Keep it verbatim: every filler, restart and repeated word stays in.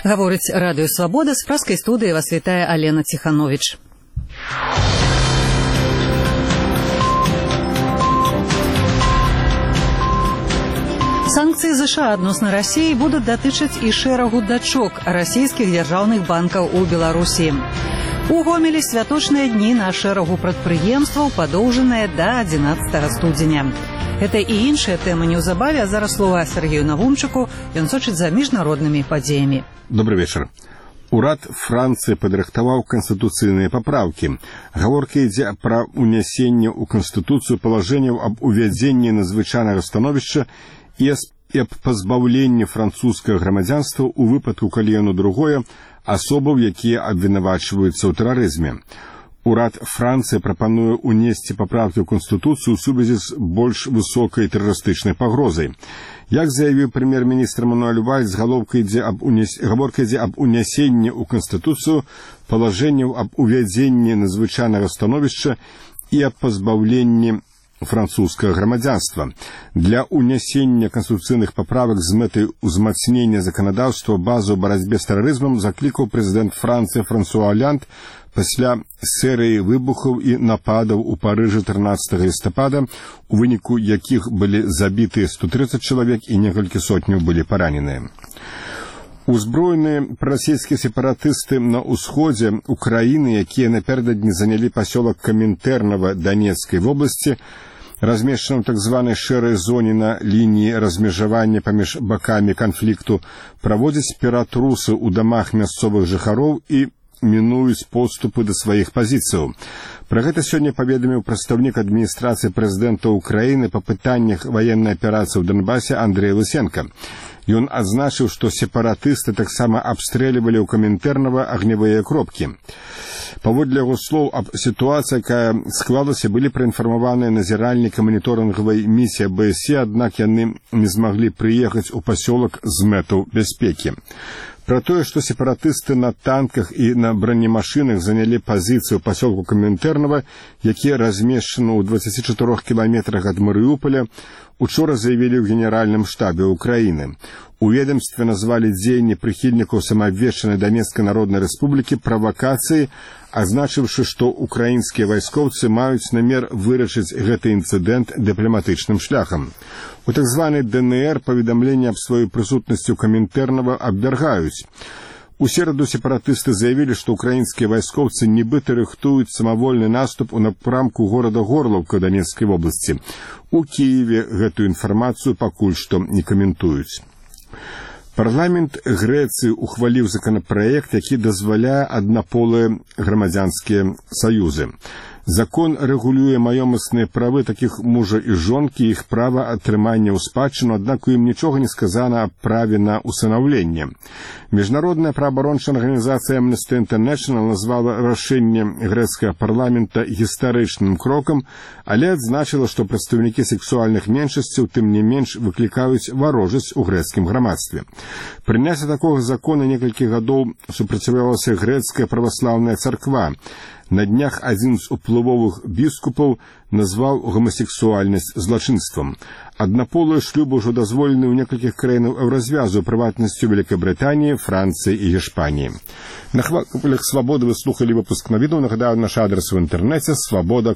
Гаворыць радыё «Свабода», з праскай студыі вас вітае Алена Ціхановіч. Санкцыі ЗША адносна Расіі будуць датычыць і шэрагу дачок расійскіх дзяржаўных банкаў у Беларусі. У Гомелі святочныя дні на шэрагу прадпрыемстваў падоўжаныя да адзінаццатага студзеня. Гэта і іншыя тэмы неўзабаве, а зараз слова Сергею Навумчыку, ён сочыць за міжнароднымі падзеямі. Добрый вечар. Урад Францыі падрыхтаваў канстытуцыйныя папраўкі. Гаворка ідзе пра ўнясенне ў канстытуцыю палажэнняў аб увядзенні надзвычайнага становішча і аб пазбаўленні французскага грамадзянства ў выпадку, калі яно другое, асобаў, якія абвінавачваюцца ў тэрарызме. Урад Францыі прапануе ўнесці папраўкі ў Канстытуцыю ў сувязі з больш высокай тэрарыстычнай пагрозай. Як заявіў прэм'ер-міністр Мануэль Вальс, гаворка ідзе аб унясенні ў Канстытуцыю палажэнняў аб увядзенні надзвычайнага становішча і аб пазбаўленні французскага грамадзянства. Для унясення канстытуцыйных паправак з мэтай узмацнення заканадаўства базу барацьбе з тэрарызмам заклікаў прэзідэнт Францыі Франсуа Оланд пасля серыі выбухаў і нападаў у Парыжы трынаццатага лістапада, у выніку якіх былі забіты сто тридцать чалавек і некалькі сотняў былі параненыя. Узброеныя прарасійскія сепаратысты на ўсходзе Украіны, якія напярэдадні занялі пасёлак Камінтэрнава Данецкай вобласці, размешчаным так званай шэрай зоне на лініі размежавання паміж бакамі канфлікту, праводзяць ператрусы ў дамах мясцовых жыхароў і мінуюць поступы да сваіх пазіцыяў. Пра гэта сёння паведаміў прадстаўнік адміністрацыі прэзідэнта Украіны па пытаннях ваеннай аперацыі ў Донбасе Андрэй Лысенка. Ён адзначыў, што сепаратысты таксама абстрэльвалі ў Камінтэрнава агнявыя кропкі. Паводле яго слоў, аб сітуацыі, якая склалася, былі праінфармаваныя назіральнікі маніторынгавай місіі бэ эс е, аднак яны не змаглі прыехаць у пасёлак з мэтаў бяспекі. Пра тое, што сепаратысты на танках і на бронемашынах занялі пазіцыю ў пасёлку Камінтэрнава, які размешчаны ў дваццаці чатырох кіламетрах ад Марыуполя, учора заявілі ў генеральным штабе Украіны. У ведомстве назвалі дзеянні прыхільнікаў самаабвешчанай Данецкай народнай рэспублікі правакацыі, азначыўшы, што украінскія вайскоўцы маюць намер вырашыць гэты інцыдэнт дыпламатычным шляхам. У так званай дэ эн эр паведамленне аб сваёй прысутнасці ў Камінтэрнава абвяргаюць. У сераду сепаратысты заявілі, што украінскія вайскоўцы нібыта рыхтуюць самавольны наступ у напрамку горада Горлаўка Данецкай вобласці. У Кіеве гэтую інфармацыю пакуль што не каментуюць. Парламент Грэцыі ухваліў законапраект, які дазваляе аднаполыя грамадзянскія саюзы. Закон рэгулюе маёмасныя правы такіх мужа і жонкі, іх права атрымання ў спадчыну, аднак у ім нічога не сказана аб праве на усынаўленне. Міжнародная праабарончая арганізацыя Amnesty International назвала рашэнне грэцкага парламента гістарычным крокам, але адзначыла, што прадстаўнікі сексуальных меншасцяў тым не менш выклікаюць варожасць у грэцкім грамадстве. Прыняцце такога закона некалькі гадоў супраціўлялася грэцкая праваслаўная царква. На днях адзін з уплывовых біскупаў назваў гомасексуальнасць злачынствам. Аднаполыя шлюбы ўжо дазволены ў некалькіх краінах еўразвязу, прыватнасцю Вялікабрытаніі, Францыі і Гішпаніі. На хвалях «Свабоды» вы слухалі выпуск навінаў. Нагадаю, наш адрес в інтэрнэце свабода.